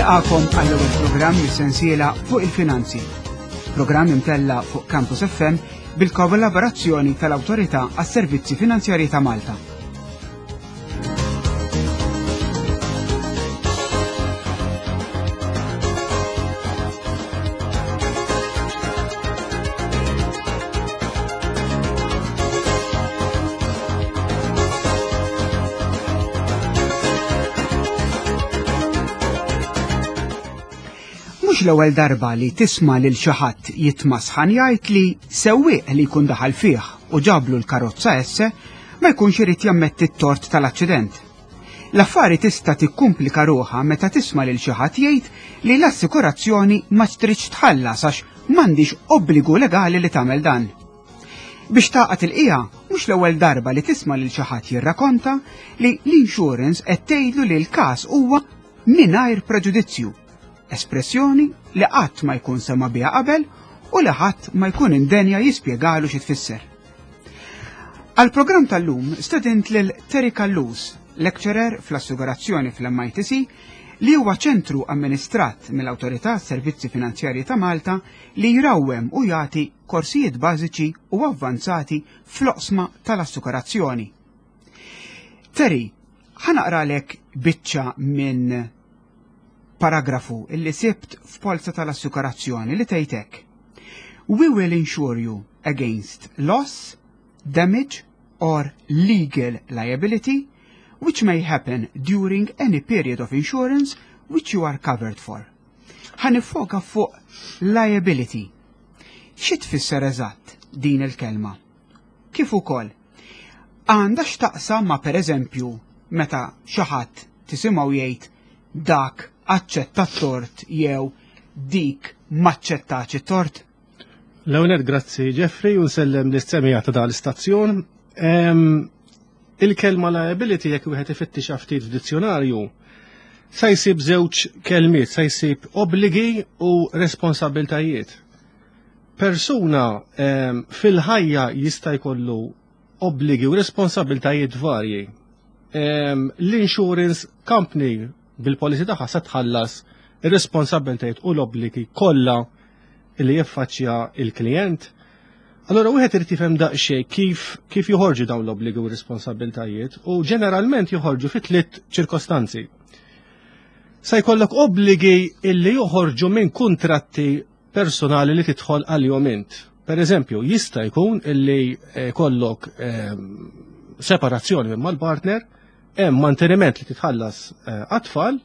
Nilqakom għall-ewwel programm mis-sensiela fuq il-finanzi. Programm imtella fuq Campus FM bil-kollaborazzjoni tal-Awtorità għas-Servizzi Finanzjarji ta' Malta. Mhux l-ewwel darba li tisma' lil xi ħadd jitmasħan jgħid li sewwieq li jkun daħal fih u ġablu l-karozza esse ma jkunx irid jammetti t-tort tal-aċċident. L-affari tista' tikkumplika ruħha meta tisma' lil xi ħadd jgħid li l-assikurazzjoni ma tridx tħallas għax m'għandix obbligu legali li tagħmel dan. Biex tagħqad il-qiegħa, mhux l-ewwel darba li tisma' lil xi ħadd jirrakonta li l-insurance qed tgħidlu li l-każ huwa mingħajr preġudizzju, espressjoni li qatt ma jkun sema' biha qabel u li ħadd ma jkun indenja jispjegalu xi tfisser. Għall-programm tal-lum stedint lil Terry Callus, lecturer fl-assigurazzjoni fl-MITC, li huwa ċentru amministrat mill-Awtorità Servizzi Finanzjarji ta' Malta li jrawwem u jagħti korsijiet bażiċi u avvanzati fl-oqsma tal-assikurazzjoni. Terry, ħa naqralek biċċa minn paragrafu illi sibt f'polza tal-assikurazzjoni li tgħid hekk. We will insure you against loss, damage or legal liability which may happen during any period of insurance which you are covered for. Ħa niffoka fuq liability. Xi tfisser eżatt din il-kelma? Kif ukoll għandha x'taqsam ma' pereżempju meta xi ħadd tisimgħu jgħid dak aċċetta t-tort jew dik m'aċċettax it-tort? L-ewwel grazzi Jeffrey u nsellem lis-semija ta' dan l-istazzjon. Il-kelma liability jekk wieħed ifittixha ftit f'dizzjonarju sa jsib żewġ kelmiet, sa jsib obbligi u responsabiltajiet. Persuna fil-ħajja jista' jkollu obbligi u responsabiltajiet varji. L-insurance company bil-policy tagħha se tħallas ir-responsabiltajiet u l-obbligi kollha li jiffaċċja il-klijent. Allora wieħed irid jifhem daqsxejn kif kif joħorġu dawn l-obbligi u responsabiltajiet u ġeneralment joħorġu fi tliet ċirkostanzi. Se jkollok obbligi illi joħorġu minn kuntratti personali li tidħol għalihom int. Per eżempju, jista' jkun illi eh, kollok eh, separazzjoni minn mal-partner, hemm manteniment li titħallas eh, għat-tfal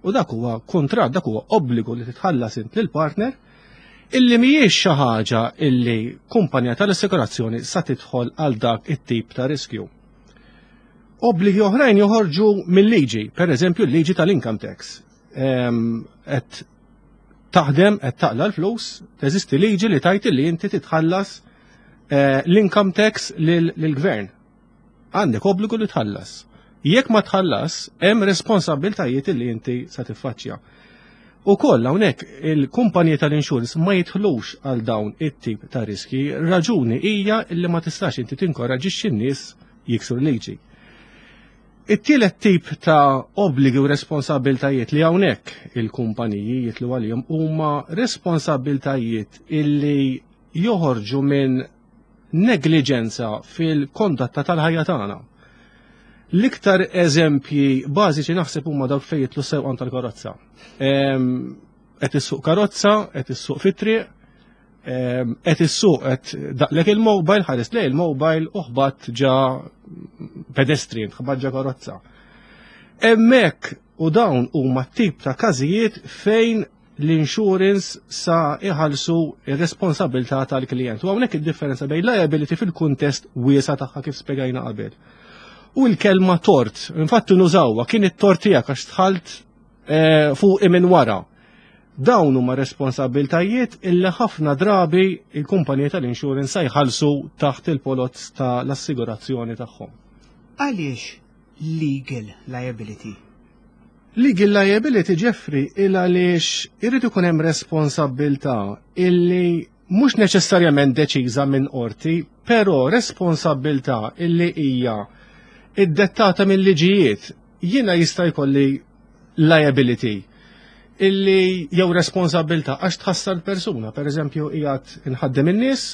u dak huwa kuntratt, dak huwa obbligu li titħallas int lill-partner illi mhijiex xi ħaġa illi kumpanija tal-assikurazzjoni sa tidħol għal dak it-tip ta' riskju. Obbligi oħrajn joħorġu mill-liġi, per eżempju l-liġi tal-income tax. Qed taħdem, qed taqla l-flus, teżisti liġi li tajt li inti titħallas eh, l-income tax lill-gvern. Għandek obbligu li tħallas. Jekk ma tħallas, hemm responsabiltajiet li inti sa tiffaċċja. U koll hawnhekk il-kumpaniji tal-insurance ma jidħlux għal dawn it-tip ta' riski. Raġuni hija li ma tistax inti tinkoraġixxi n-nies jiksru liġi. It-tielet tip ta' obbligi u responsabiltajiet li hawnhekk il-kumpaniji jitlu għalihom huma responsabiltajiet illi joħorġu minn negliġenza fil-kondotta tal-ħajja tagħna. L-iktar eżempji bażiċi naħseb huma dawk fejn jitlu sewqan tal-karozza. Qed issuq karozza, qed issuq fit-triq, qed issuq qed daqlek il-mobile, ħares lej il-mobile u ħbatt ġa pedestrian, ħbatt ġa karozza. Hemmhekk u dawn huma tip ta' każijiet fejn l-insurance sa iħallsu ir-responsabilità tal-klijent. U hawnhekk id-differenza bejn liability fil-kuntest wiesa tagħha kif spjegajna qabel. U l-kelma tort, infatti nużawha kien it-tort tiegħek għax tħalt eh, fuq minn wara. Dawn huma responsabiltajiet illi ħafna drabi il-kumpanija tal-insurance sa jħallsu taħt il-polozz tal-assigurazzjoni tagħhom. Għaliex legal liability? Legal liability, Jeffrey, il għaliex irid ikun hemm responsabbiltà illi mhux neċessarjament deċiża minn qorti, però responsabbiltà illi hija iddettata mill-liġijiet. Jiena jista' jkolli liability. Illi jew responsabilità għax tħassar persuna, per eżempju qiegħed inħaddem in-nies,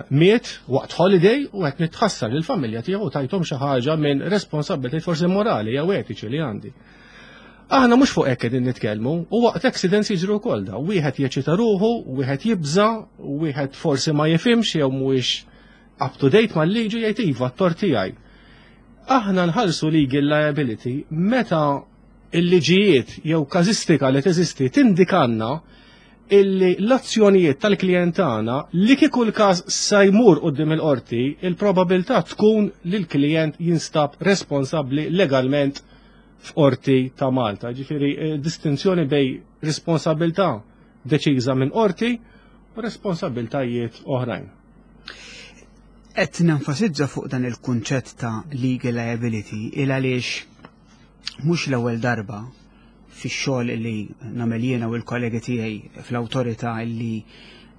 miet waqt holiday u qed nitħassar lill familja tiegħu tajthom xi ħaġa minn responsabilità forsi morali jew etiċi li għandi. Aħna mhux fuq hekk qegħdin nitkellmu u waqt accidents jiġru wkoll da. Wieħed jeċita ruħu, wieħed jibża, wieħed forsi ma jifhimx jew mhuwiex up to date mal-liġi jgħid iva t-tort tiegħi. Aħna nħallsu legal liability meta il-liġijiet jew każistika li teżisti tindikanna illi l-azzjonijiet tal-klijent tagħna li kieku l-każ sa jmur quddiem il-qorti, il-probabilità tkun li l-klijent jinstab responsabbli legalment f'qorti ta' Malta. Ġifieri eh, distinzjoni bej responsabilità deċiża minn qorti u responsabiltajiet oħrajn. Qed nenfasizza fuq dan il-kunċett ta' legal liability il għaliex mhux l-ewwel darba fix-xogħol li nagħmel jiena u l-kollegi tiegħi fl-awtorità li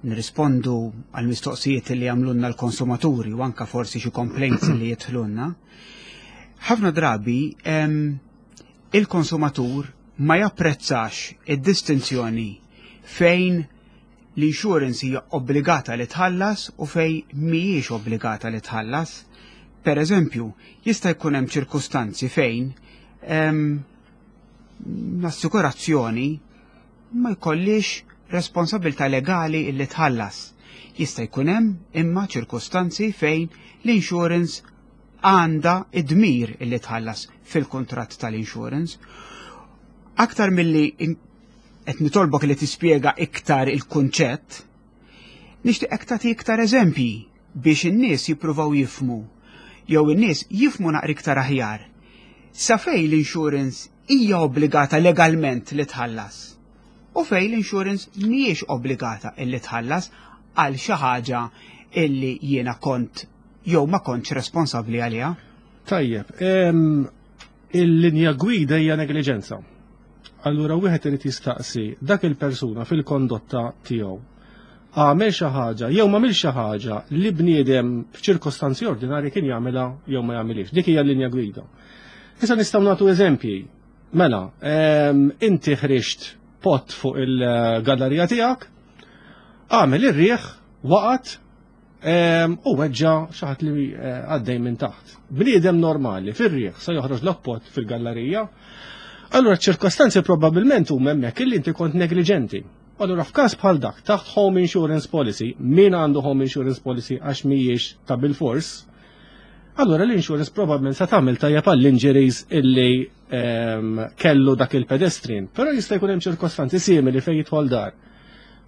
nirrispondu għal mistoqsijiet li jagħmlulna l-konsumaturi u anka forsi xi complaints li jidħlulna. Ħafna drabi il-konsumatur ma japprezzax id-distinzjoni fejn l-insurance hija obbligata li tħallas u fejn mhijiex obbligata li tħallas. Per eżempju, jista' jkun hemm ċirkustanzi fejn l-assikurazzjoni ma jkollix responsabilità legali illi tħallas. Jista' jkun hemm imma ċirkustanzi fejn l-insurance għandha id-dmir illi tħallas fil-kuntratt tal-insurance. Aktar milli qed nitolbok li tispjega iktar il-kunċett, nixtieqek tagħti iktar eżempji biex in-nies jippruvaw jifhmu jew in-nies jifhmu naqra iktar aħjar sa fejn l-insurance hija obbligata legalment li tħallas u fejn l-insurance mhijiex obbligata illi tħallas għal xi ħaġa illi jiena kont jew ma kontx responsabbli għaliha. Tajjeb, il-linja gwida hija negliġenza. Allura wieħed irid jistaqsi dak il-persuna fil-kondotta tiegħu għamel xi ħaġa jew m'għamil xi ħaġa li bniedem f'ċirkostanzi ordinarji kien jagħmilha jew ma jagħmilhiex. Dik hija l-linja gwida. Issa nistgħu nagħtu eżempji. Mela, inti ħriġt pot fuq il-gallerija tiegħek, għamel ir-riħ, waqgħet u weġġa xi ħadd li eh, għaddej minn taħt. Bniedem normali fir-riħ se joħroġ l-oppot fil-gallerija. Allura ċirkostanzi probabbilment huma hemmhekk illi inti kont negliġenti. Allura f'każ bħal dak taħt home insurance policy, min għandu home insurance policy għax mhijiex ta' bil-fors, allura l-insurance probabbilment se tagħmel tajjeb għall-injuries illi kellu dak il-pedestrian. Però jista' jkun hemm ċirkostanzi simili fejn jidħol dar.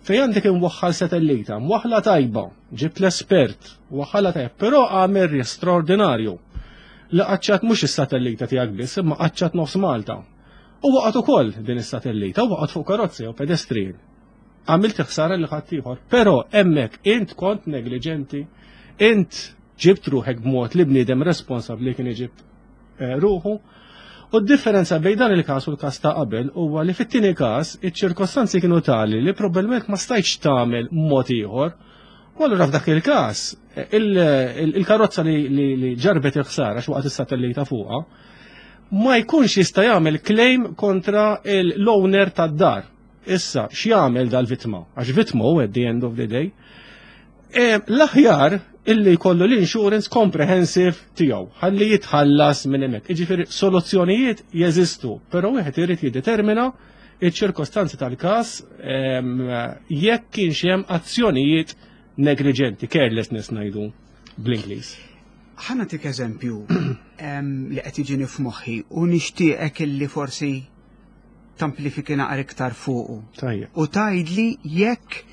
Fejn għandek imwaħħal satellita, mwaħħla tajba, ġibt l-espert, waħħala tajba, però għamel risk straordinarju li qaċċat mhux is-satellita tiegħek biss, imma qaċċat nofs Malta. U waqgħet ukoll din is-satellita, u waqgħet fuq karozzi u pedestrian. Għamilt ħsara li ħadd ieħor, però hemmhekk int kont negliġenti, int ġibt ruħek b'mod li bniedem responsabbli kien iġib eh, ruħu. U d-differenza bejn dan il-każ u l-każ ta' qabel huwa li fit-tieni każ iċ-ċirkostanzi kienu tali li probabbilment ma stajtx tagħmel mod ieħor. U allura f'dak il-każ eh, il-karozza li ġarbet il-ħsara x'waqt is-satellita fuqha ma jkunx jista' jagħmel claim kontra l-owner tad-dar. Issa, x'jagħmel dal-vittma? Għax vittma hu at the end of the day. E, l-aħjar illi jkollu l-insurance comprehensive tiegħu ħalli jitħallas minn hemmhekk. Jiġifieri soluzzjonijiet jeżistu, però wieħed irid jiddetermina iċ-ċirkostanzi tal-każ jekk kienx hemm azzjonijiet negliġenti, carelessness ngħidu bl-Ingliż. Ħa nagħtik eżempju li qed jiġini f'moħħi u nixtieqek illi forsi tamplifiki naqra iktar fuqu. Tajjeb. U tgħidli jekk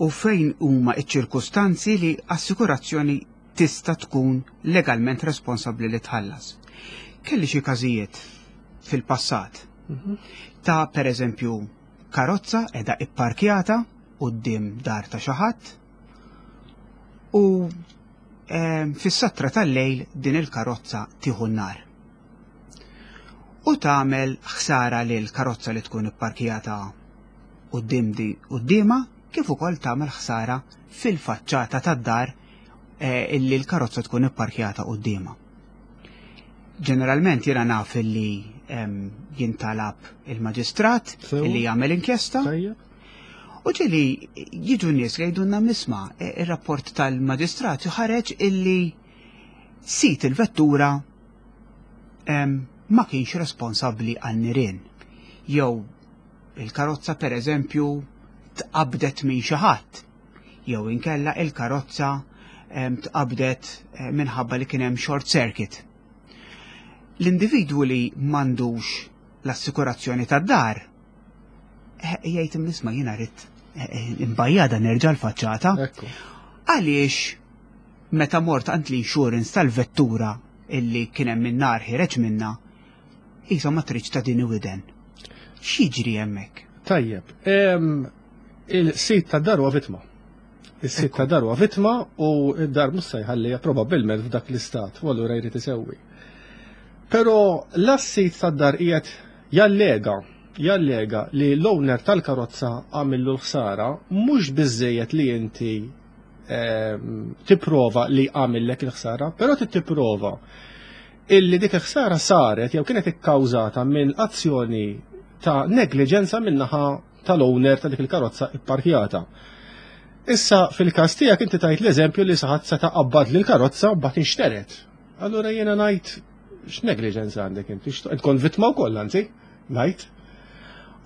u fejn huma iċ-ċirkustanzi li assikurazzjoni tista' tkun legalment responsabbli li tħallas. Kelli xi każijiet fil-passat ta' per eżempju karozza qiegħda ipparkjata quddiem dar ta' xi ħadd u fis-satra tal-lejl din il-karozza tieħu n-nar. U tagħmel ħsara lil karozza li tkun ipparkjata quddiem di quddiemha kif ukoll tagħmel ħsara fil-faċċata tad-dar eh, illi l-karozza tkun ipparkjata quddiemha. Ġeneralment jiena naf li jintalab il-maġistrat li jagħmel inkjesta. U ġieli jiġu nies li jgħidulna misma ir-rapport tal-maġistrat ħareġ illi sit il-vettura ma kienx responsabbli għan-nirien. Jew il-karozza per eżempju tqabdet minn xi ħadd jew inkella il-karozza tqabdet eh, minħabba li kien hemm short circuit. L-individwu li m'għandux l-assikurazzjoni tad-dar eh, jgħid nisma' jiena rrid eh, imbajjada nerġa' l-faċċata. Għaliex meta mort għand l-insurance tal-vettura illi kien hemm in-nar ħireġ minna, qisha ma tridx ta' din widen. X'jiġri hemmhekk? Tajjeb, il-sit ta' dar huwa vittma. Is-sit ta' dar huwa vittma u d-dar mhux se jħalliha probabbilment f'dak l-istat u allura jrid isewwi. Però l-assit tad-dar qiegħed jallega jallega li l-owner tal-karozza għamillu l-ħsara mhux biżejjed li inti tipprova li għamillek il-ħsara, però trid tipprova illi dik il-ħsara saret jew kienet ikkawżata minn azzjoni ta' negliġenza min-naħa tal-owner ta' dik il-karozza ipparkjata. Issa fil-każ tiegħek inti tajt l-eżempju li saħat seta' qabbad lil karozza mbagħad inxteret. Allura jiena ngħid x'negliġenza għandek inti, tkun vittma wkoll anzi, ngħid.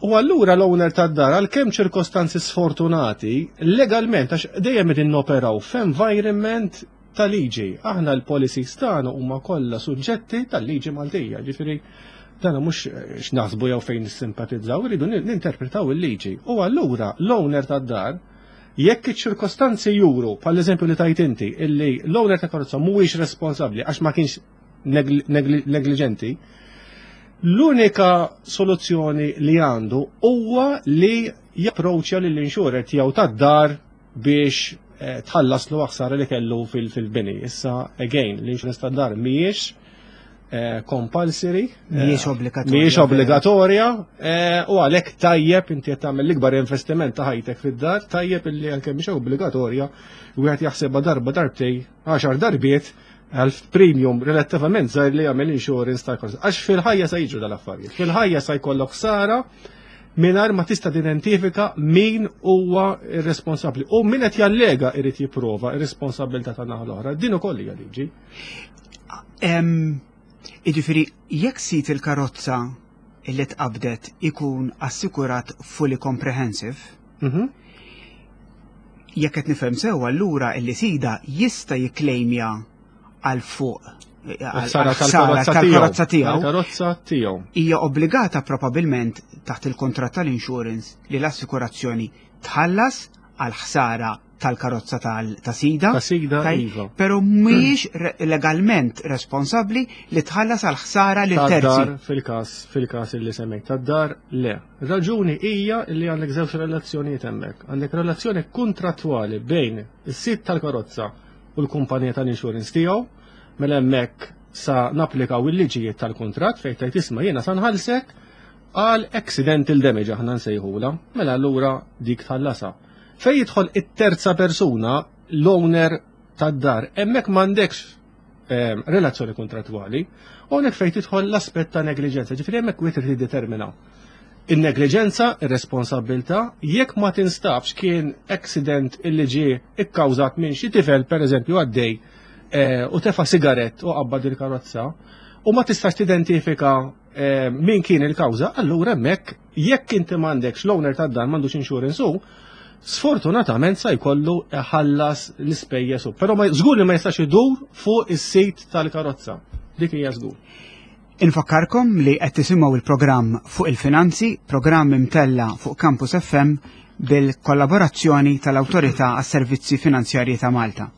U allura l-owner tad-dar għalkemm ċirkostanzi sfortunati, legalment għax dejjem qegħdin noperaw f'environment ta' liġi. Aħna l-policies tagħna huma kollha suġġetti tal-liġi Maltija, ġifieri dan mhux x'naħsbu jew fejn nissimpatizzaw, irridu ninterpretaw il-liġi. U allura l-owner tad-dar jekk iċ-ċirkostanzi juru, bħal eżempju li tajt inti, illi l-owner ta' karozza mhuwiex responsabbli għax ma kienx negliġenti, l-unika soluzzjoni li għandu huwa li japproċċja lill-insurer tiegħu tad-dar biex eh, tħallaslu ħsara li kellu fil-bini. Issa, again, l-insurance tad-dar mhijiex eh, compulsory. Eh, mhijiex obbligatorja. Mhijiex obbligatorja u għalhekk tajjeb inti qed tagħmel l-ikbar investiment ta' ħajtek fid-dar, tajjeb illi anke mhix obbligatorja wieħed jaħsebha darba darbtej, għaxar darbiet għal premium relattivament żgħir li jagħmel insurance tal-karozza. Għax fil-ħajja se jiġu dal-affarijiet. Fil-ħajja se jkollok ħsara mingħajr ma tista' tidentifika min huwa responsabbli. U min qed jallega irid jipprova r-responsabilità ta' naħa l-oħra. Din ukoll hija liġi. Jiġifieri jekk sit il-karozza illi tqabdet ikun assikurat fully comprehensive, mhm. jekk qed nifhem sew allura illi sida jista' jikklejmja għal fuq tal-karozza tiegħu. Karozza tiegħu. Hija obbligata probabilment taħt il-kontratt tal-insurance li l-assikurazzjoni tħallas għal ħsara tal-karozza ta' sida. Ta' sida, iva. Pero mhijiex legalment responsabbli li tħallas għal ħsara lil terzi. Fil-każ, fil-każ li semmejt tad-dar, le. Raġuni hija li għandek żewġ relazzjonijiet hemmhekk. Għandek relazzjoni kontrattwali bejn is-sid tal-karozza u l-kumpanija tal-insurance tiegħu, mela hemmhekk sa napplikaw il-liġijiet tal-kuntratt fejn tgħid isma' jiena sa nħallsek għal accidental damage aħna nsejħula, mela allura dik tħallasha. Fejn jidħol it-terza persuna, l-owner tad-dar, hemmhekk m'għandekx ehm, relazzjoni kontrattwali, u hawnhekk fejn tidħol l-aspett ta' negliġenza, ġifieri hemmhekk wieħed irid jiddetermina in-negliġenza, ir-responsabbiltà, jekk ma tinstabx kien accident illi ġie ikkawżat minn xi tifel pereżempju għaddej eh, u tefa' sigarett u qabbad il-karozza u ma tistax tidentifika eh, min kien il-kawża, allura hemmhekk jekk inti m'għandekx l-owner tad-dar m'għandux insurance hu, sfortunatament sa jkollu ħallas l-ispejjeż hu. Però żgur li ma jistax idur fuq is-sit tal-karozza. Dik hija żgur. Infakkarkom li qed tisimgħu il-programm fuq il-finanzi, programm imtella fuq Campus FM bil-kollaborazzjoni tal-Awtorità għas-Servizzi Finanzjarji ta' Malta.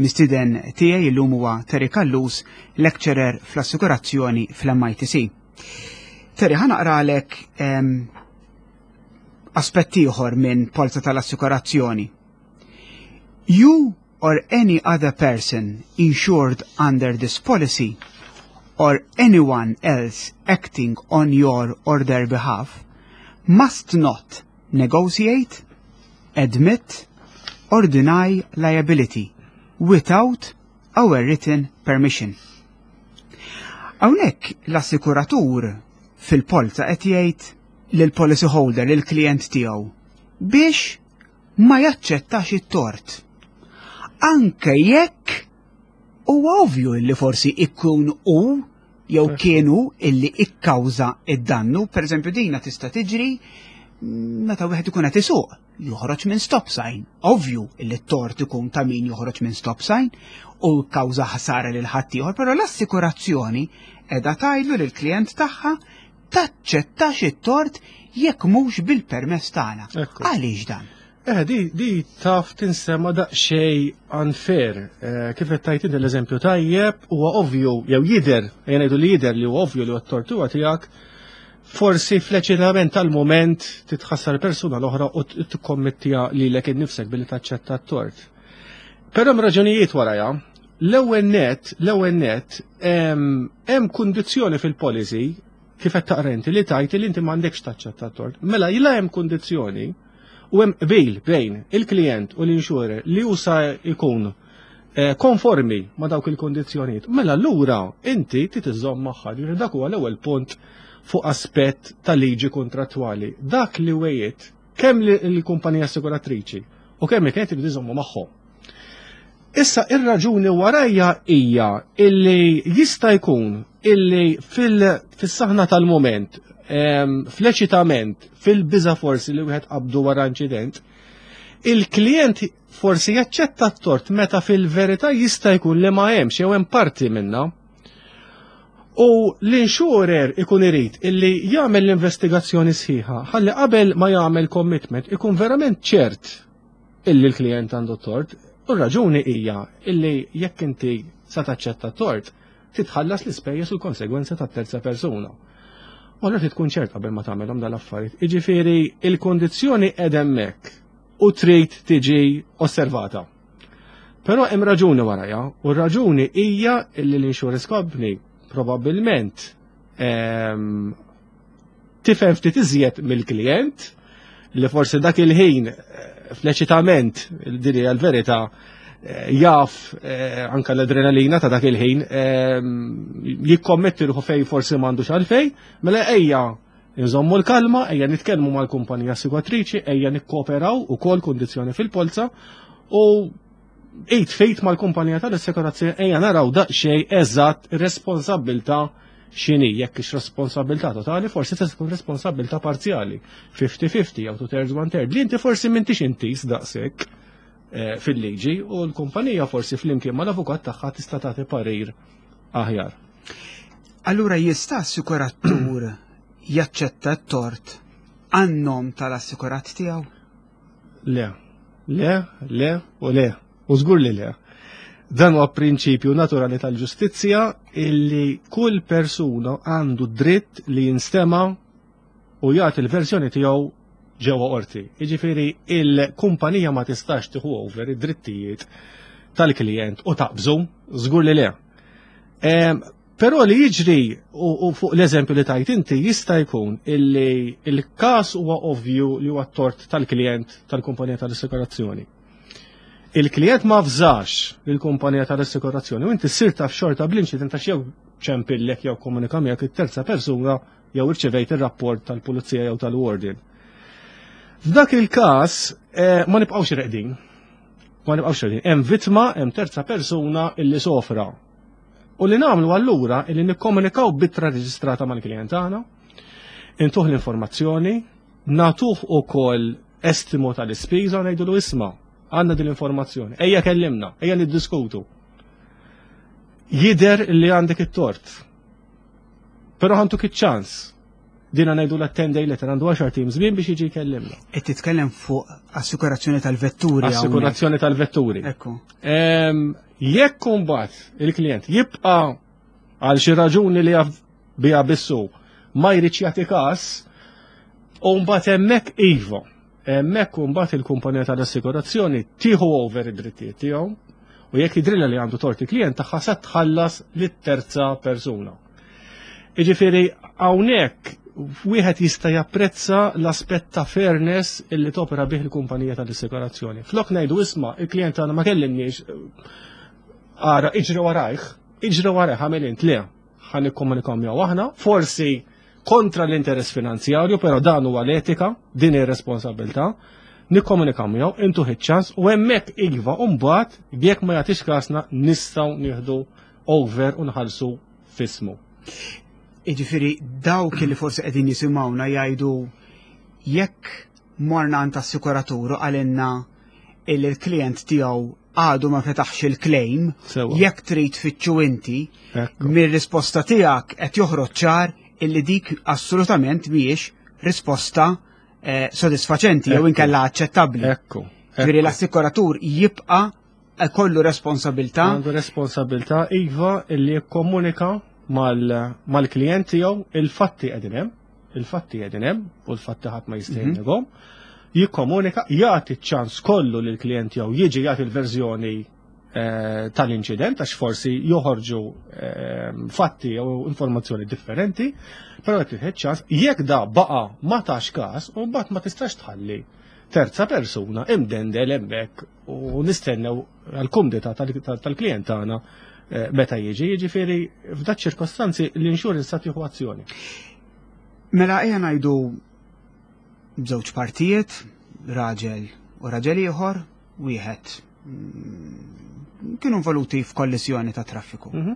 Mistieden tiegħi llum huwa Terry Callus, lecturer fl-assikurazzjoni fl-MITC. Terry, ħa naqralek ehm, aspett ieħor minn polza tal-assikurazzjoni. You or any other person insured under this policy or anyone else acting on your or their behalf must not negotiate, admit or deny liability without our written permission. Hawnhekk l-assikuratur fil-polza qed jgħid lill-policy holder, lill-klijent tiegħu, biex ma jaċċettax it-tort. Anke jekk huwa ovvju li forsi ikun hu jew kienu illi ikkawża id-dannu, per eżempju dina tista' tiġri meta wieħed ikun qed isuq, joħroġ minn stop sign. Ovvju illi t-tort ikun ta' min joħroġ minn stop sign u kkawża ħsara lil ħaddieħor, però l-assikurazzjoni qiegħda tgħidlu lill-klijent tagħha taċċettax it-tort jekk mhux bil-permess tagħna. Għaliex dan? Eh, di, di taf tinsema daqsxejn unfair. Eh, kif qed tajt inti l-eżempju tajjeb, huwa ovvju jew jidher, ejja ngħidu li jidher li huwa ovvju li t-tortuga tiegħek, forsi fl-eċitament tal-mument titħassar persuna l-oħra u tikkommettija lilek innifsek billi taċċetta t-tort. Però hemm raġunijiet warajha. L-ewwel net, l-ewwel net, hemm kundizzjoni fil-policy kif qed taqra inti li tajt li inti m'għandekx taċċetta t-tort. Mela jila hemm kundizzjoni u hemm qbil bejn il-klient u l-insurer li hu sa jkun eh, konformi ma' dawk il-kondizzjonijiet. Mela allura inti trid iżżomm magħha, ġifieri dak huwa l-ewwel punt fuq aspett ta' liġi kontrattwali. Dak li wejiet kemm l-kumpanija assiguratriċi u kemm il-klient irid iżommu magħhom. Issa ir-raġuni warajja hija illi jista' jkun illi fis-saħna tal-moment, fl-eċitament, fil-biża forsi li wieħed qabdu wara inċident, il-klient forsi jaċċetta t-tort meta fil-verità jista' jkun li ma hemmx jew hemm parti minnha. U l-insurer ikun irid illi jagħmel l-investigazzjoni sħiħa ħalli qabel ma jagħmel commitment ikun verament ċert illi l-klijent għandu tort, u r-raġuni hija illi jekk inti sa taċċetta tort, titħallas l-ispejjeż u l-konsegwenza tat-terza persuna. U allura trid tkun ċert qabel ma tagħmelhom dal-affarijiet. Jiġifieri il-kondizzjoni qed hemmhekk u trid tiġi osservata. Però hemm raġuni warajha, u r-raġuni hija illi l-insurance company probabbilment ehm, tifhem ftit iżjed mill-klijent li forsi dak il-ħin eh, fl-eċitament din hija l-verità eh, jaf eh, anka l-adrenalina ta' dak il-ħin jikkommetti ruħu fej forsi m'għandux għalfej, mela ejja nżommu l-kalma, ejja nitkellmu mal-kumpanija assiguratriċi, ejja nikkooperaw ukoll kundizzjoni fil-polza u id fejt mal-kumpanija tal-assikurazzjoni ejja naraw daqsxejn eżatt ir-responsabbiltà x'inhi, jekk ix responsabilità totali, forsi tista' tkun responsabilità parzjali, 50-50 jew two thirds one third, li inti forsi m'intix intis daqshekk eh, fil-liġi u l-kumpanija forsi flimkien mal-avukat tagħha tista' tagħti parir aħjar. Allura jista' assikuratur jaċċetta t-tort għan-nom tal-assikurat tiegħu? Le, le, le u le, u żgur li le. Dan huwa prinċipju naturali tal-ġustizzja illi kull persuna għandu dritt li jinstema u jagħti l-verżjoni tiegħu ġewwa qorti. Jiġifieri il-kumpanija ma tistax tieħu over id-drittijiet tal-klijent u taqbżu, żgur li le. Però li jiġri u fuq l-eżempju li tajt inti jista' jkun illi il-każ huwa ovvju li huwa t-tort tal-klijent tal-kumpanija tal-assikurazzjoni. Il-klijent ma fżax lill-kumpanija tal-assikurazzjoni u inti ssir taf xorta bl-inċident għax jew ċempillek jew komunika miegħek it-terza persuna jew irċevejt ir-rapport tal-pulizija jew tal-warden. F'dak il-każ eh, ma nibqgħux reqdin. Ma nibqgħux reqdin. Hemm vittma, hemm terza persuna illi sofra U li nagħmlu allura illi nikkomunikaw b'ittra reġistrata mal-klijent tagħna, intuh l-informazzjoni, nagħtuh ukoll estimo tal-ispiża u ngħidulu isma' għandna din l-informazzjoni, ejja kellimna, ejja niddiskutu. Jider li għandek it-tort. Però ħantuk iċ-ċans Dina ngħidu la 10 day letter għandu 10 tim żmien biex jiġi jkellimna. Qed titkellem fuq assikurazzjoni tal-vetturi. Assikurazzjoni tal-vetturi. Ekku. Jekk imbagħad il-klient jibqa' għal xi raġuni li jaf biha bissu ma jridx jagħti każ, u mbagħad hemmhekk iva. Hemmhekk imbagħad il-kumpanija tal-assikurazzjoni tieħu over id-drittijiet tiegħu u jekk jidrilha li għandu tort il-klient tagħha se tħallas lit-terza persuna. Jiġifieri hawnhekk wieħed jista' japprezza l-aspett ta' fairness illi topera bih il-kumpanija tal-assikurazzjoni. Flok ngħidu isma' il-klient tagħna ma kellimniex ara iġri warajh, iġri warajh għamel int le. ħa nikkomunikaw miegħu aħna, forsi kontra l-interess finanzjarju, però dan huwa l-etika, din ir-responsabilità, nikkomunikaw miegħu, intu ċans u hemmhekk iva u mbagħad jekk ma jagħtix kasna nistgħu nieħdu over u nħallsu fismu. Jiġifieri dawk li forsi qegħdin jisimgħuna jgħidu jekk morna għand assikuratur u qalilna illi l-klient tiegħu għadu ma fetaħx il-claim, jekk trid tfittxu inti, mir-risposta tiegħek qed joħroġ ċar illi dik assolutament mhijiex risposta eh, sodisfaċenti jew inkella aċċettabbli. Ekku. Ġifieri l-assikuratur jibqa' kollu responsabilità. Għandu responsabilità iva illi jikkomunika mal-klient tiegħu il-fatti qegħdin hemm, il-fatti qegħdin hemm u l-fatti ħadd ma jista' mhm. jinnegahom. Jikkomunika, jagħti ċ-ċans kollu lill-klient tiegħu jiġi jagħti l-verżjoni eh, tal-inċident għax forsi joħorġu eh, fatti jew informazzjoni differenti, però qed tieħed ċans jekk da baqa' ma tax każ u mbagħad ma tistax tħalli terza persuna imdendel hemmhekk u nistennew għal-kumdità tal-klient tagħna eh, meta jiġi, jiġifieri f'dak ċirkostanzi l-insurance sa tieħu azzjoni. Mela ejja ngħidu żewġ partijiet, raġel u raġel ieħor, wieħed mm, kienu involuti f'kollizjoni ta' traffiku. Mhm.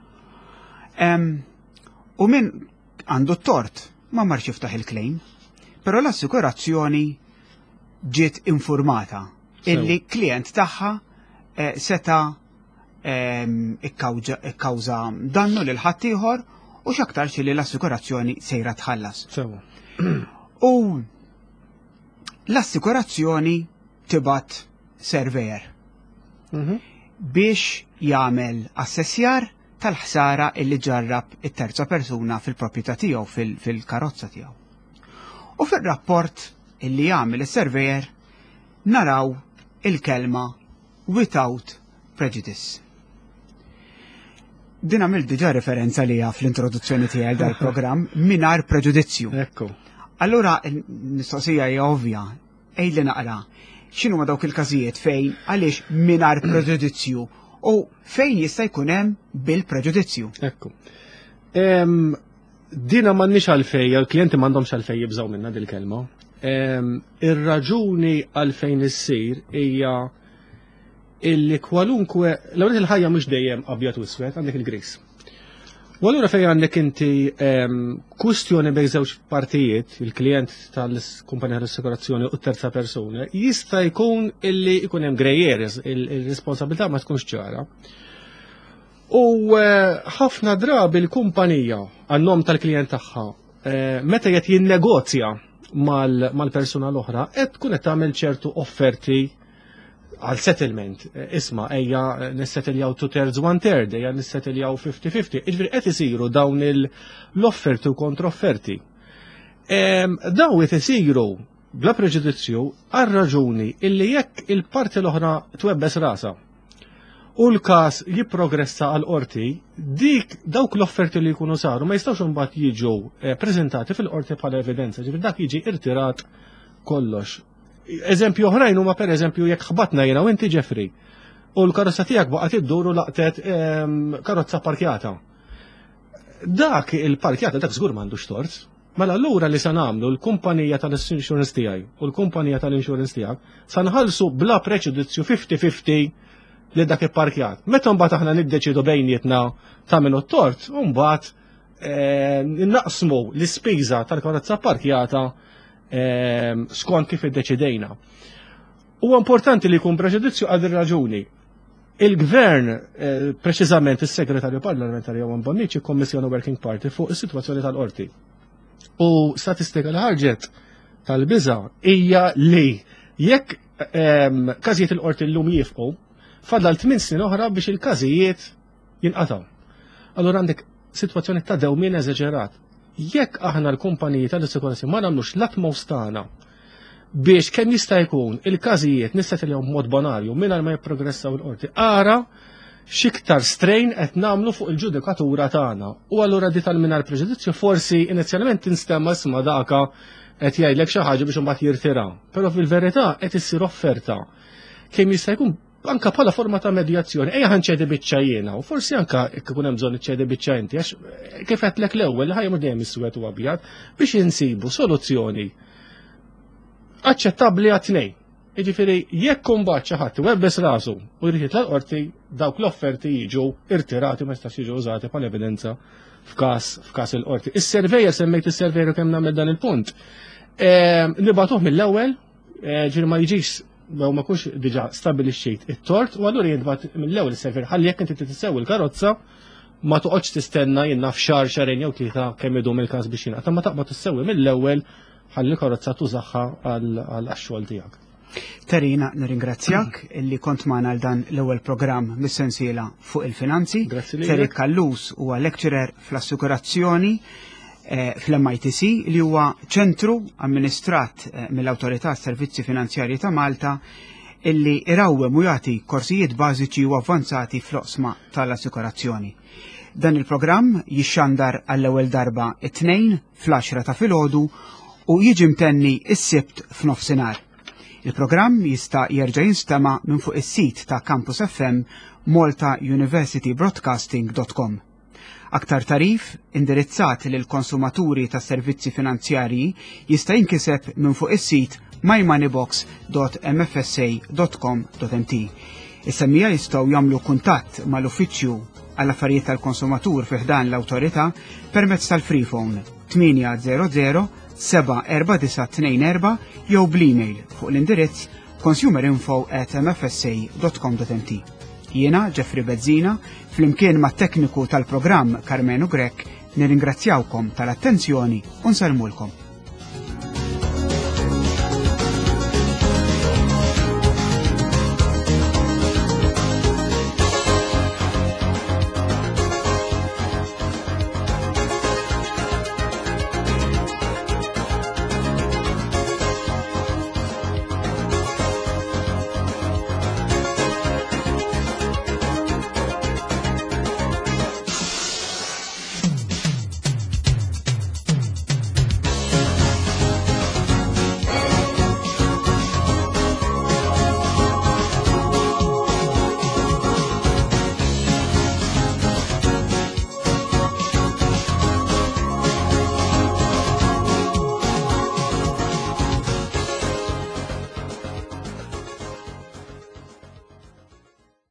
U min għandu t-tort ma marx jiftaħ il-claim, però l-assikurazzjoni ġiet informata illi klient tagħha eh, seta ehm, ikkawża dannu lil ħaddieħor u x'aktarx li l-assikurazzjoni sejra tħallas. U l-assikurazzjoni tibat surveyor mhm. biex jagħmel assessjar tal-ħsara illi ġarrab it-terza persuna fil-proprjetà tiegħu fil-karozza tiegħu. U fir-rapport illi jagħmel is-surveyor naraw il-kelma without prejudice. Din għamilt diġà referenza liha fl-introduzzjoni tiegħi dal-programm mingħajr preġudizzju. Ekku. Allura il-mistoqsija hija ovvja, għidli naqra, x'inhu ma dawk il-każijiet fejn għaliex mingħajr preġudizzju u fejn jista' jkun hemm bil-preġudizzju. Ekku. Dina m'għandniex għalfej, il-klijenti m'għandhomx għalfej jibżgħu minna dil-kelma. Ir-raġuni għalfejn issir hija illi kwalunkwe, l-ewwel il-ħajja mhux dejjem abjad u iswed, għandek il-gris. U allura fejn għandek inti kwistjoni bejn żewġ partijiet, il-klient tal-kumpanija tal-assikurazzjoni u terza persuna, jista' jkun illi jkun hemm grey areas, il-responsabilità ma tkunx ċara. U eh, ħafna drabi l-kumpanija għan-nom tal-klient tagħha eh, meta qed jinnegozja mal-persuna l-oħra qed tkun qed tagħmel ċertu offerti għal settlement. Eh, isma' ejja nissettiljaw two thirds one third, ejja nissettiljaw 50-50. Iġifieri qed isiru dawn l-offerti u kontrofferti. Dawn qed isiru bla preġudizzju għal raġuni illi jekk il-parti l-oħra twebbes rasa u l-każ jipprogressa għal qorti, dik dawk l-offerti li jkunu saru ma jistgħux imbagħad jiġu eh, preżentati fil-qorti bħala evidenza, ġifieri dak jiġi irtirat kollox. Eżempju oħrajn huma pereżempju jekk ħbatna jiena u inti Jeffrey u l-karozza tiegħek baqgħet iddur u laqtet ehm, karozza parkjata. Dak il-parkjata dak żgur m'għandux tort. Mela allura li se nagħmlu l-kumpanija tal-insurance tiegħi u l-kumpanija tal-insurance tiegħek sa nħallsu bla preġudizzju 50-50 li dak ipparkjat. Meta mbagħad aħna niddeċidu bejnietna ta' min tort, u mbagħad eh, naqsmu l-ispiża tal-karozza parkjata eh, skont kif iddeċidejna. Huwa importanti li jkun preġudizzju għal raġuni. Il-gvern, eh, preċiżament is-segretarju parlamentari Jowan Bonnici, kommissjoni Working Party fuq is-sitwazzjoni tal-qorti. U statistika li ħarġet tal-biża hija li jekk ehm, każijiet il-qorti llum jifqu, fadal 8 snin oħra biex il-każijiet jinqatgħu. Allura għandek sitwazzjoni ta' dewmien eżaġerat. Jekk aħna l-kumpaniji tal-assikurazzjoni ma nagħmlux l-utmost tagħna biex kemm jista' jkun il-każijiet nissetilhom b'mod bonarju mingħajr ma jipprogressaw il-qorti. Ara x'iktar strain qed nagħmlu fuq il-ġudikatura tagħna. U allura di tal-mingħajr preġudizzju forsi inizjalment tinstema' isma' daka qed jgħidlek xi ħaġa biex imbagħad jirtira. Però fil-verità qed issir offerta kemm jista' jkun Anka bħala forma ta' medjazzjoni, ejja ħanċedi biċċa jiena, u forsi anka jekk ikun hemm bżonn iċċedi biċċa inti, għax eh, kif qedlek l-ewwel ħajja mhux dejjem iswed u abjad, biex insibu soluzzjoni aċċettabbli għat-tnejn. Jiġifieri jekk imbagħad xi ħadd iwebbes rasu u jrid jitla' l-qorti, dawk l-offerti jiġu irtirati ma jistax jiġu użati bħala evidenza f'każ f'każ il-qorti. Is-surveyor semmejt is-surveyor kemm nagħmel dan il-punt. Eh, nibagħtuh mill-ewwel, eh, ġifieri ma jiġix jew ma kunx diġà stabilixxejt it-tort u allura jintbagħat mill-ewwel is-surveyor ħalli jekk inti tissew il-karozza ma toqgħodx tistenna jien naf xahar xahrejn jew tlieta kemm idum il-każ biex jingħata ma taqbad issewwi mill-ewwel ħalli l-karozza tużaha għal xogħol tiegħek. Terina, nirringrazzjak illi kont magħna għal dan l-ewwel programm mis-sensiela fuq il-finanzi. Grazzi lilek. Terry Callus huwa lecturer fl-assikurazzjoni eh, fl-MITC li huwa ċentru amministrat eh, mill-Awtorità Servizzi Finanzjarji ta' Malta illi irawwem u jagħti korsijiet bażiċi u avvanzati fl-oqsma tal-assikurazzjoni. Dan il-programm jixxandar għall-ewwel darba it-tnejn fl-10 ta' filgħodu u jiġi mtenni s-Sibt f'nofsinhar. Il-programm jista' jerġa' jinstema' minn fuq is-sit ta' Campus FM maltauniversitybroadcasting.com. Aktar tagħrif indirizzat lil konsumaturi ta' servizzi finanzjarji jista' jinkiseb minn fuq is-sit mymoneybox.mfsa.com.mt. Is-semmiegħa jistgħu jagħmlu kuntatt mal-Uffiċċju għall-Affarijiet tal-Konsumatur fi ħdan l-Awtorità permezz tal-Freephone 800 74924 jew bl-email fuq l-indirizz consumerinfo@mfsa.com.mt. Jiena Jeffrey Bezzina, flimkien mat tekniku tal-programm Carmenu Grech, nirringrazzjawkom tal-attenzjoni u nsellmulkom.